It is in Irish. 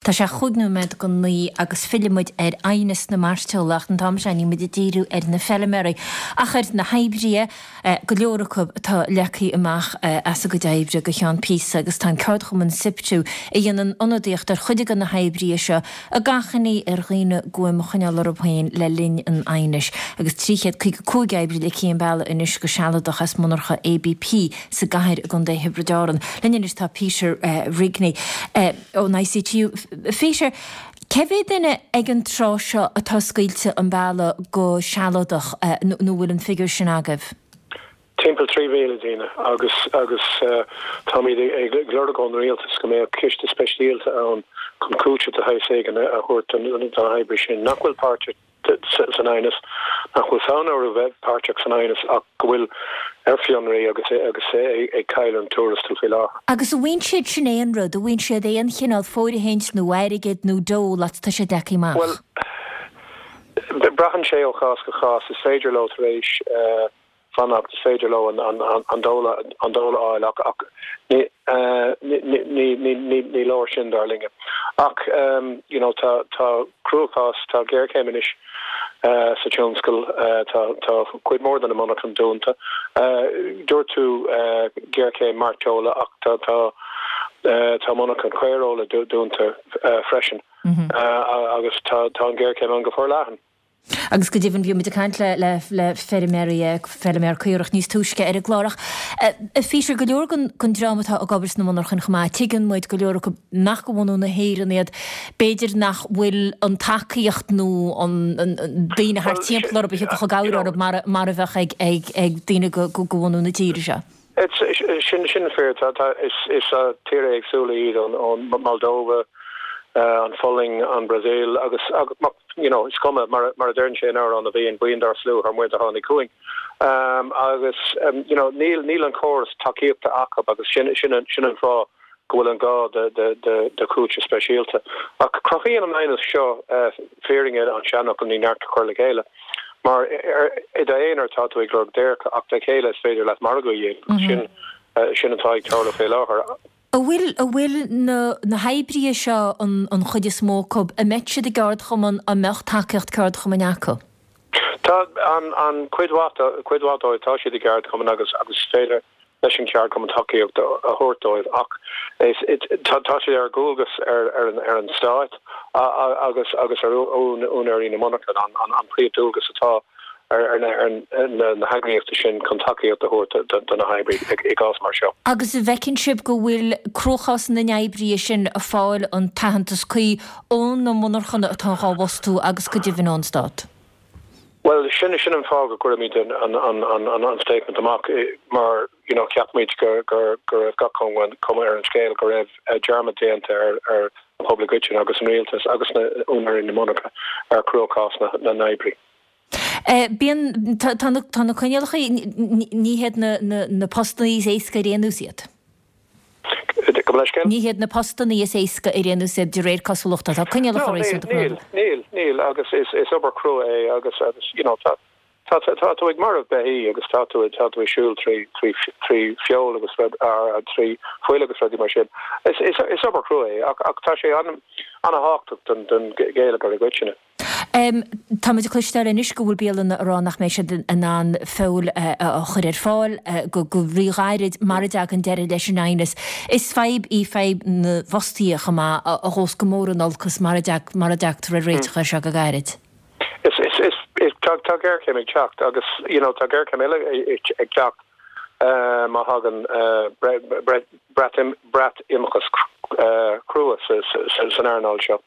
Tá sé chúig nóiméad go 9 agus fillfidh muid ar aighneas na mairteola ach an t-am seo níl muid ag díriú ar na feilméaraí ach ar na hoibrithe, go leor acu atá leagtha amach as a gcuid oibre go ceann píosa agus tá an ceardchumann Siptu a dhéanann ionadaíocht ar chuid de na hoibrithe seo ag achainí ar dhaoine guaim a choinneáil orthu féin le linn an aighnis agus 355 oibrí ligthe an bealach anois go sealadach as monarcha ABP sa gcathair i gContae Thiobraid Árann. Linn anois tá Peter Rigney. ón ICTU. Peter, cé mhéad duine ag an tráth seo atá scaoilte an bealach go sealadach nó bhfuil an figiúr sin agaibh? Timpeall 3,000 duine agus agus táimid ag lorg ón rialtas go mbeadh ciste speisialta ann chun cúiteamh de shaghas éigin a thabhairt do na hoibrithe sin nach bhfuil páirteach san aighneas, nach bhfuil fonn orthu bheith páirteach san aighneas ach go bhfuil ar fionraí agus agus ag cailleadh an tuarastal faoi láthair. Agus an bhfaigheann siad sin aon rud, an bhfaigheann siad aon chineál fóirithint nó airgead nó dole fad tá siad leagtha amach? Bhuel, braitheann sé ó chás go cás. Is féidir leo tar éis fanacht, is féidir leo an dole a fháil ach ní leor sin dar linne. Ach you know tá cruachás, tá géarchéim anois sa tionscal, tá cuid mhór de na monarchana dúnta. Dúirt tú géarchéim mairteola ach tá monarchan caoireola dúnta freisin agus tá an ghéarchéim ann go forleathan. Agus go deimhin bhí muid ag caint le le le feirmeoirí, feirmeoir caorach níos túisce ar an gclár. Ach a Pheter, go leor den den dream atá ag obair sna monarchain chomh maith, tuigeann muid go leor acu nach de bhunú na hÉireann iad, b'fhéidir nach bhfuil an tacaíocht nó an an daoine thart timpeall orthu a thiocfadh i gcabhair orthu mar mar a bheadh ag ag ag daoine de de bhunú na tíre seo. Sin sin fíor. Tá tá is is tíortha éagsúla iad ón ón Moldova, an Pholainn, an Brasaíl agus agus you know is cuma mar mar a deireann sé in Amhrán na bhFiann, buíon dár slua thar muir do tháinig chugainn. Agus you know níl níl an córas tacaíochta acu agus sin sin an sin an fáth go bhfuil an gá de de de de chúiteamh speisialta. Ach cruthaíonn an aighneas seo fírinne an seanfhocal ní neart a chur le chéile. Mar i d'aonar tá tú ag lorg déirce ach le chéile is féidir leat margadh a dhéanamh. Sin sin atá ag tarlú fé láthair. An bhfuil, an bhfuil na, na hoibrithe seo, an, an chuid is mó acu, an mbeidh siad i gceardchumann, an mbeadh tacaíocht ceardchumainn acu? Tá an, an cuid mhaith, cuid mhaith dóibh, tá siad i gceardchumann agus, agus is féidir leis an cheardchumann tacaíocht a thabhairt dóibh ach tá sé ar dhualgas ar an Stát agus agus ar úinéirí na monarchan an príomhdualgas atá ar na heagraíochtaí sin chun tacaíocht a thabhairt do na hoibrithe i gcás mar seo. Agus an bhfeiceann sibh go bhfuil cruachás na n-oibrithe sin ag fáil an t-aitheantas cuí ó na monarchana atá dhá bhfostú agus go deimhin ón Stát? Bhuel, sin sin an fáth go gcuirimid an an an an an an statement amach mar you know cheap muid go go go raibh gach cuma ar an scéal go raibh dearmad déanta ar ar an pobal i gcoitinne agus an rialtas agus na úinéirí na monarcha ar chruachás na na n-oibrí. Bíonn tá tá na tá na coinníollacha ní hiad na na na postanna is éasca ar aon nós iad. Gabh mo leithscéal? Ní hiad na postanna is éasca ar aon nós iad de réir cosúlachta. Tá coinníollacha No, níl, réasúnta níl, crua. níl, níl agus is, is obair chrua é agus, agus you know tá, tá, tá, tá tú ag marbhú beithí agus tá tú, tá tú ag siúl trí, trí, trí feoil agus rud, ar, trí fuil agus rudaí mar sin. Is, is, is obair chrua é ach, ach tá sé an, an-thábhachtach don, don gheilleagar i gcoitinne. Táimid ag cloisteáil anois go bhfuil bialanna ag rá nach mbeidh siad in ann feoil a chur ar fáil go ríghairid mara dtagann deireadh leis an aighneas. Is fadhb í fadhb na bhfostaithe chomh maith a ghabhfas go mór in olcas mara dtagtar ar réiteach air seo go gairid. Tá géarchéim ag teacht agus you know tá géarchéim eile ag teacht má thagann Breatimeachtas crua san earnáil seo.